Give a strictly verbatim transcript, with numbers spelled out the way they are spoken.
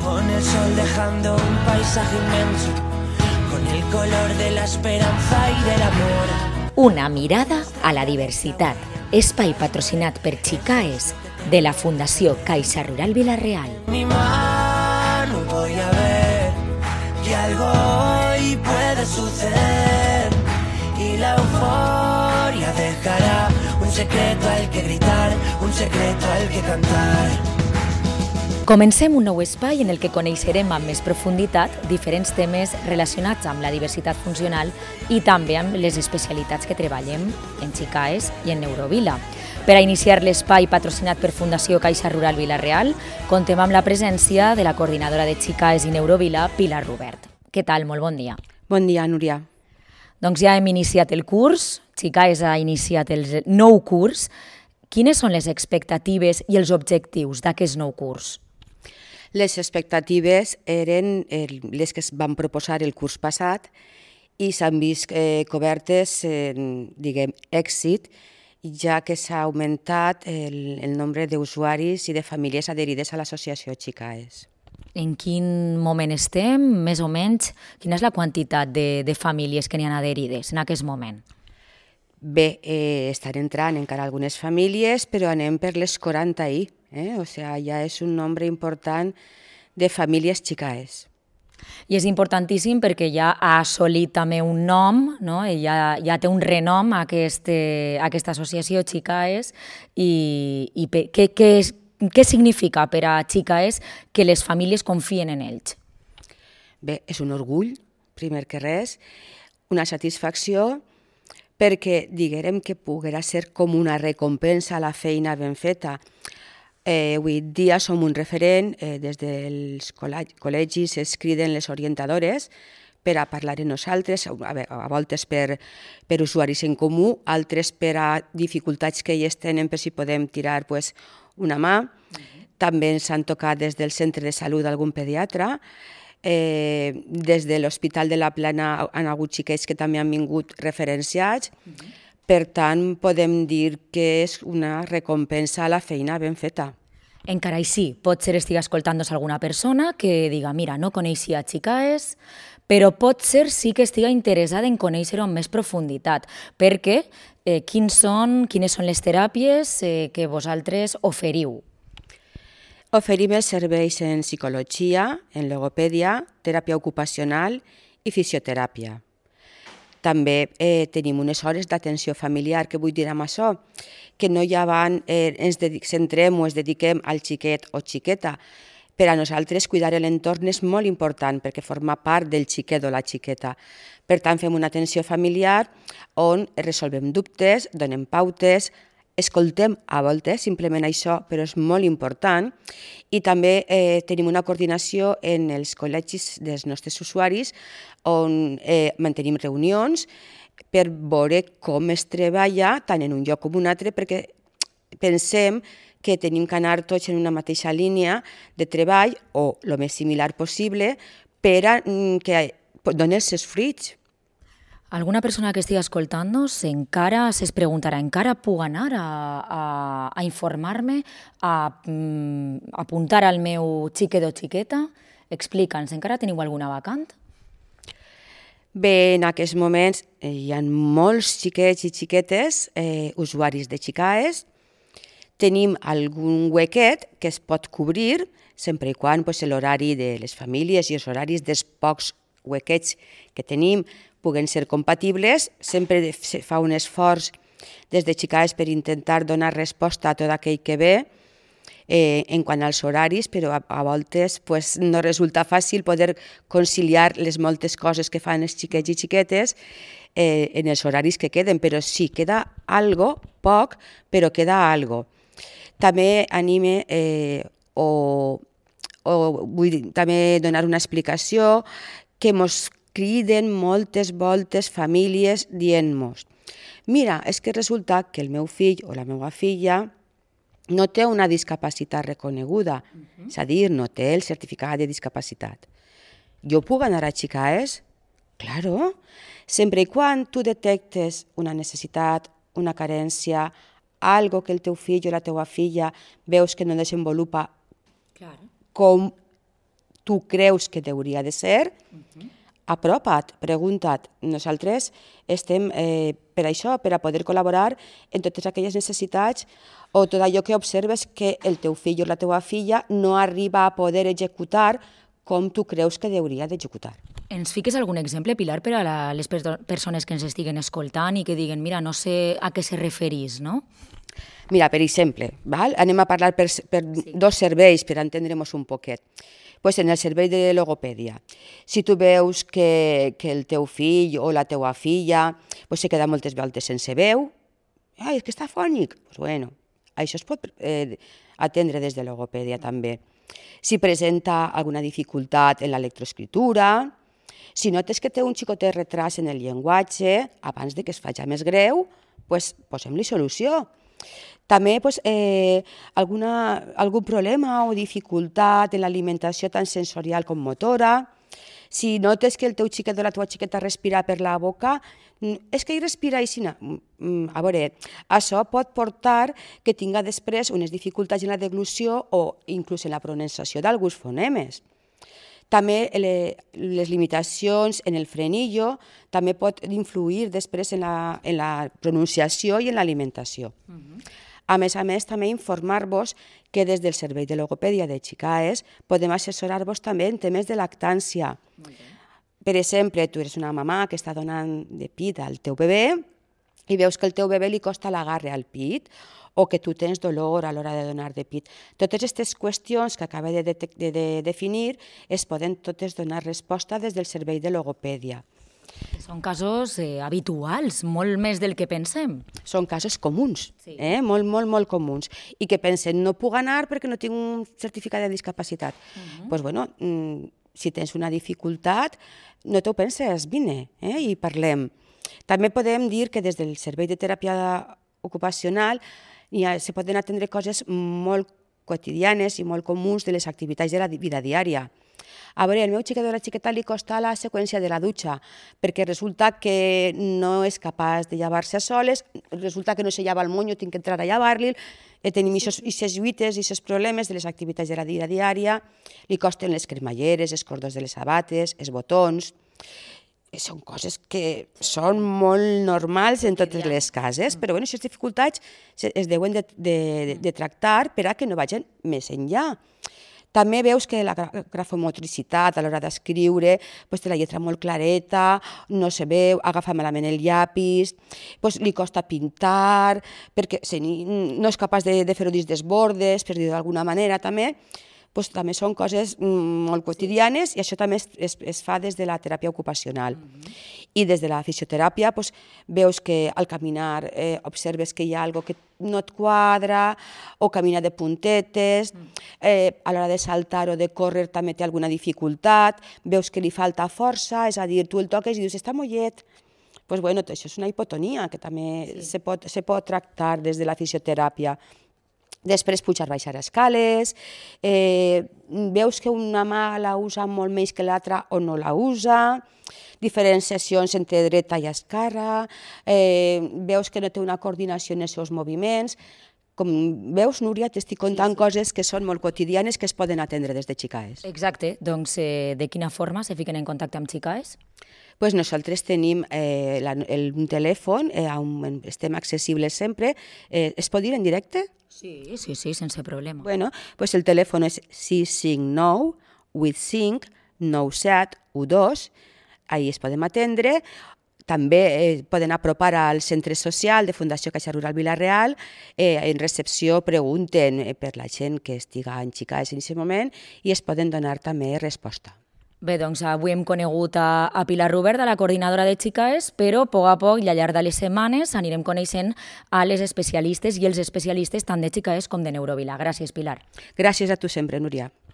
con el sol dejando un paisaje inmenso, con el color de la esperanza y del amor. Una mirada a la diversitat. Espai patrocinat per Chicaes de la Fundació Caixa Rural Vila-real. Mi mano voy a ver que algo hoy puede suceder y la euforia dejará un secreto al que gritar, un secreto al que cantar. Comencem un nou espai en el que coneixerem amb més profunditat diferents temes relacionats amb la diversitat funcional i també amb les especialitats que treballem en Chicaes i en Neurovila. Per a iniciar l'espai patrocinat per Fundació Caixa Rural Vila-real, contem amb la presència de la coordinadora de Chicaes i Neurovila, Pilar Rubert. Què tal? Molt bon dia. Bon dia, Núria. Doncs ja hem iniciat el curs, Chicaes ha iniciat el nou curs. Quines són les expectatives i els objectius d'aquest nou curs? Les expectatives eren les que es van proposar el curs passat i s'han vist eh, cobertes, eh, diguem, èxit, ja que s'ha augmentat el, el nombre d'usuaris i de famílies adherides a l'associació Chicaes. En quin moment estem, més o menys? Quina és la quantitat de, de famílies que n'hi ha adherides en aquest moment? Bé, eh, estan entrant encara algunes famílies, però anem per les quaranta ahir. Eh? O sigui, ja és un nombre important de famílies Chicaes. I és importantíssim perquè ja ha assolit també un nom, no? ja, ja té un renom aquest, aquesta associació Chicaes i, i per, què, què, és, què significa per a Chicaes que les famílies confien en ells? Bé, és un orgull, primer que res, una satisfacció perquè diguem que poguera ser com una recompensa a la feina ben feta. Eh, avui dia som un referent, eh, des dels col·legis es criden les orientadores per a parlar amb nosaltres, a, a voltes per, per usuaris en comú, altres per a dificultats que ells tenen per si podem tirar pues, una mà. Mm-hmm. També ens han tocat des del centre de salut algun pediatre, eh, des de l'Hospital de la Plana han hagut xiquets que també han vingut referenciats. Mm-hmm. Per tant, podem dir que és una recompensa a la feina ben feta. Encara així, potser estigui escoltant-nos alguna persona que diga, mira, no coneixia Chicaes, però potser sí que estigui interessada en conèixer-ho amb més profunditat, perquè eh, quins són, quines són les teràpies eh, que vosaltres oferiu? Oferim els serveis en psicologia, en logopèdia, teràpia ocupacional i fisioteràpia. També eh, tenim unes hores d'atenció familiar, que vull dir amb això, que no ja van, eh, ens centrem o ens dediquem al xiquet o xiqueta. Per a nosaltres cuidar l'entorn és molt important perquè forma part del xiquet o la xiqueta. Per tant, fem una atenció familiar on resolvem dubtes, donem pautes, escoltem a voltes, simplement això, però és molt important. I també eh, tenim una coordinació en els col·legis dels nostres usuaris on eh, mantenim reunions per veure com es treballa tant en un lloc com un altre, perquè pensem que tenim que anar tots en una mateixa línia de treball o el més similar possible per a que doni els seus fruits. Alguna persona que estigui escoltant-nos encara es preguntarà, encara puc anar a, a, a informar-me, a, a apuntar al meu xiquet o xiqueta? Explica'ns, encara teniu alguna vacant? Bé, en aquests moments eh, hi ha molts xiquets i xiquetes eh, usuaris de Chicaes. Tenim algun huequet que es pot cobrir, sempre i quan pues, l'horari de les famílies i els horaris dels pocs huequets que tenim puguen ser compatibles. Sempre se fa un esforç des de Chicaes per intentar donar resposta a tot aquell que ve eh, en quant als horaris, però a, a voltes pues, no resulta fàcil poder conciliar les moltes coses que fan els xiquets i xiquetes eh, en els horaris que queden, però sí, queda algo, poc, però queda algo. També anime eh, o, o vull dir, també donar una explicació que ens criden moltes voltes famílies dient-nos mira, és que resulta que el meu fill o la meva filla no té una discapacitat reconeguda, uh-huh. És a dir, no té el certificat de discapacitat. Jo puc anar a Chicaes? Claro, sempre i quan tu detectes una necessitat, una carència, algo que el teu fill o la teua filla veus que no desenvolupa claro. com tu creus que hauria de ser, apropa't, pregunta't. Nosaltres estem eh, per això, per a poder col·laborar en totes aquelles necessitats o tot allò que observes que el teu fill o la teua filla no arriba a poder executar com tu creus que hauria d'executar. Ens fiques algun exemple, Pilar, per a la, les perso persones que ens estiguen escoltant i que diguen, mira, no sé a què se referís, no? Mira, per exemple, val? Anem a parlar per, per sí. dos serveis per entendre-nos un poquet. Pues en el servei de logopèdia, si tu veus que, que el teu fill o la teua filla pues se queda moltes voltes sense veu, ai, és que està fònic, pues bueno, això es pot eh, atendre des de logopèdia també. Si presenta alguna dificultat en la lectoescritura, si notes que té un xicotet retras en el llenguatge, abans de que es faci més greu, pues, posem-li solució. També pues, eh, alguna, algun problema o dificultat en l'alimentació tant sensorial com motora. Si notes que el teu xiquet o la teva xiqueta respira per la boca, és que ell respira així. A veure, això pot portar que tinga després unes dificultats en la deglució o inclús en la pronunciació d'alguns fonemes. També les limitacions en el frenillo també pot influir després en la, en la pronunciació i en l'alimentació. Uh-huh. A més a més, també informar-vos que des del Servei de Logopèdia de Xicaes podem assessorar-vos també en temes de lactància. Per exemple, tu eres una mamà que està donant de pit al teu bebè i veus que al teu bebè li costa l'agarre al pit o que tu tens dolor a l'hora de donar de pit. Totes aquestes qüestions que acabo de, de, de, de definir es poden totes donar resposta des del Servei de Logopèdia. Són casos eh, habituals, molt més del que pensem. Són casos comuns, sí. eh? molt, molt, molt comuns. I que pensen, no puc anar perquè no tinc un certificat de discapacitat. Doncs, uh-huh. pues, bueno, si tens una dificultat, no t'ho penses, vine eh? i parlem. També podem dir que des del Servei de Teràpia Ocupacional ja se poden atendre coses molt quotidianes i molt comuns de les activitats de la vida diària. A veure, al meu xiquet o la xiqueta li costa la seqüència de la dutxa, perquè resulta que no és capaç de llevar-se a soles, resulta que no se lleva el monyo, tinc que entrar a llevar-li, tenim aquestes lluites i aquests problemes de les activitats de la vida diària, li costen les cremalleres, els cordons de les sabates, els botons. Són coses que són molt normals en totes les cases, però bueno, aquestes dificultats es deuen de, de, de tractar per a que no vagin més enllà. També veus que la grafomotricitat a l'hora d'escriure pues, té la lletra molt clareta, no se veu, agafa malament el llapis, pues, li costa pintar, perquè si no és capaç de, de fer-ho dins dels bordes, per dir-ho d'alguna manera també, pues, també són coses molt quotidianes i això també es, es, es fa des de la teràpia ocupacional. Uh-huh. I des de la fisioteràpia pues, veus que al caminar eh, observes que hi ha alguna cosa que no et quadra o camina de puntetes, eh, a l'hora de saltar o de córrer també té alguna dificultat, veus que li falta força, és a dir, tu el toques i dius, està mollet. Pues, bueno, això és una hipotonia que també sí. se, pot, se pot tractar des de la fisioteràpia. Després pujar, baixar escales, eh, veus que una mà la usa molt més que l'altra o no la usa, diferenciacions entre dreta i esquerra, eh, veus que no té una coordinació en els seus moviments. Com veus, Núria, t'estic contant sí, sí. coses que són molt quotidianes que es poden atendre des de Xicaes. Exacte. Doncs eh, de quina forma se fiquen en contacte amb Xicaes? Pues nosaltres tenim eh, la, el, un telèfon, eh, on estem accessibles sempre. Eh, es pot dir en directe? Sí, sí, sí, sense problema. Bueno, pues el telèfon és sis cinc nou vuit cinc nou set u dos, ahí es podem atendre. També eh, poden apropar al centre social de Fundació Caixa Rural Vila-real, eh, en recepció pregunten eh, per la gent que estiga en Xicaes en aquest moment i es poden donar també resposta. Bé, doncs avui hem conegut a, a Pilar Rubert, de la coordinadora de Xicaes, però a poc a poc i al llarg de les setmanes anirem coneixent a les especialistes i els especialistes tant de Xicaes com de Neurovila. Gràcies, Pilar. Gràcies a tu sempre, Núria.